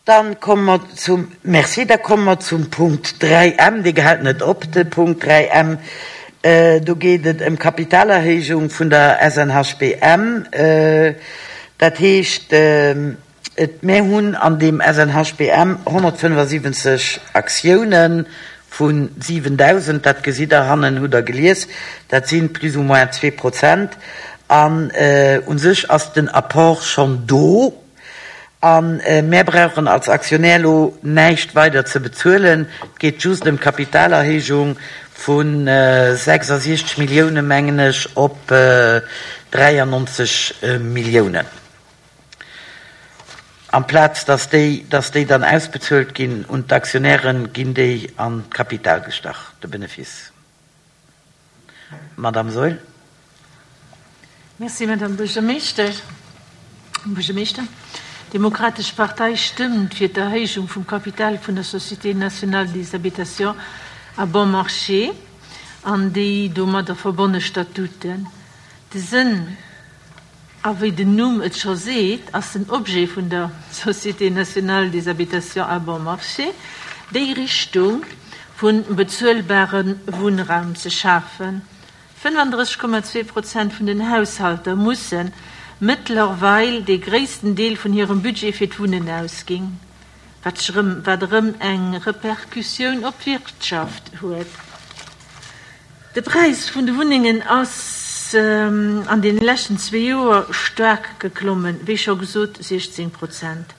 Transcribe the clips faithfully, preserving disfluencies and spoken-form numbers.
Dann komme mer zum, merci, da komme mer zum Punkt dräi M, dee gehält net op, de Punkt dräi M. Do geet et ëm Kapitalerhéijung vun der S N H B M. Dat heescht, et, mir hunn an deem S N H B M honnertfënnefasiwwenzeg Aktiounen vu siwendausend, dat gesitt Der hannen, hutt Der gelies, dat si plus ou moins zwee Prozent. An u sech ass den Apport schonn do. An mär brauchen als Aktionär elo näischt weider ze bezuelen. Et geet just ëm d'Kapitalerhéijung vu sechsasiechzeg Milliounen, mengen ech, op dräiannonzeg Milliounen. Amplaz dass déi, dass déi dann ausbezuelt ginn un d'Aktionären, ginn déi an d'Kapital gestach, de Benefice. Madame Saeul. Merci, Madame Buergermeeschter. Buergermeeschter. D'Demokratesch Partei stëmmt fir d'Erhéijung vum Kapital vun der Société nationale des habitations à bon marché an déi domadder verbonne Statuten. De Sënn, a wéi den Numm et scho seet, ass den Objet vun der Société nationale des habitations à bon marché, déi Richtung vun bezuelbare Wunnraum ze schafen. fënnefandrësseg Komma zwee Prozent vun den Haushalter mussen mëttlerweil de gréissten Deel vun hirem Budget fir d'Wunnen ausginn, wat sech erëm, wat erëm eng Repercussioun op d'Wirtschaft huet. De Präis vun de Wunnengen ass an den leschten zwee Joer staark geklommen, wéi scho gesot siechzéng Prozent.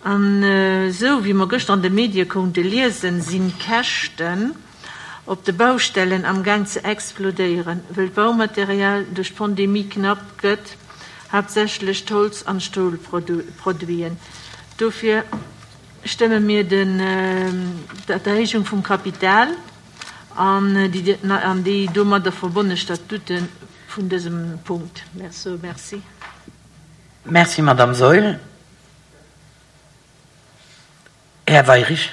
An esou wéi mer gëschter an de Medie konnte liesen, sinn d'Käschten op de Baustellen am Gaang ze explodéieren, wëll d'Baumaterial duerch d'Pandemie knapp gëtt, haaptsächlech d'Holz- an Stolproduiten. Dofir stëmme mir den, d'Erhéijung vum Kapital an déi, an déi domadder verbonne Statute vun dësem Punkt. Merci. Merci. Merci, Madame Saeul. Här Weyrich.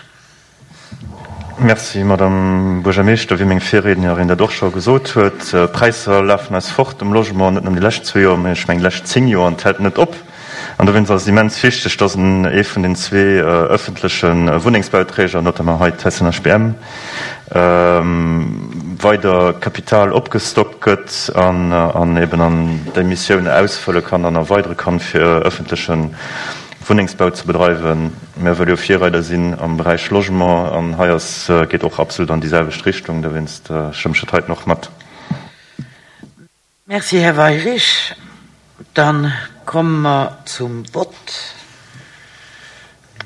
Merci, Madame Buergermeeschter. Wéi meng Virriednerin dat och scho gesot huet, d'Präisser lafen eis fort um Logement, net nëmmen déi lescht zwee Joer, mä ech mengen déi lescht zéng Joer, an et hält net op. An dowéinst ass et immens wichteg, dass en ee vun den zwee ëffentleche Wunnengsbauträger, notamment hei d'S N H B M, weider Kapital opgestockt gëtt an, an eben an déi Missioun ausfëlle kann an erweidere kann, fir ëffentleche Wunnengsbau ze bedreiwen. Mir wëlle jo Virreider sinn am Beräich Logement an hei ass, geet och absolut an déi selwecht Richtung, dowéinst stëmme ech dat heiten och mat. Merci, Här Weyrich. Dann komme mer zum Vott.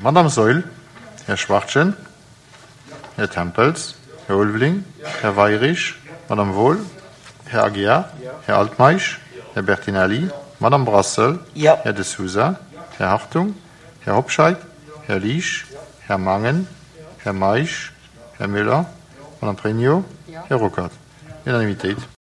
Madame Saeul, Här Schwachtgen, Här Tempels, Här Ulveling, Här Weyrich, Madame Wohl, Här Aguiar, Här Altmeisch, Här Bertinelli, Madame Brassel, Ja. Här De Sousa, Här Hartung, Här Hobscheit, Här Liesch, Här Mangen, Här Meisch, Här Müller, Madame Pregno, Här Ruckert. Unanimitéit.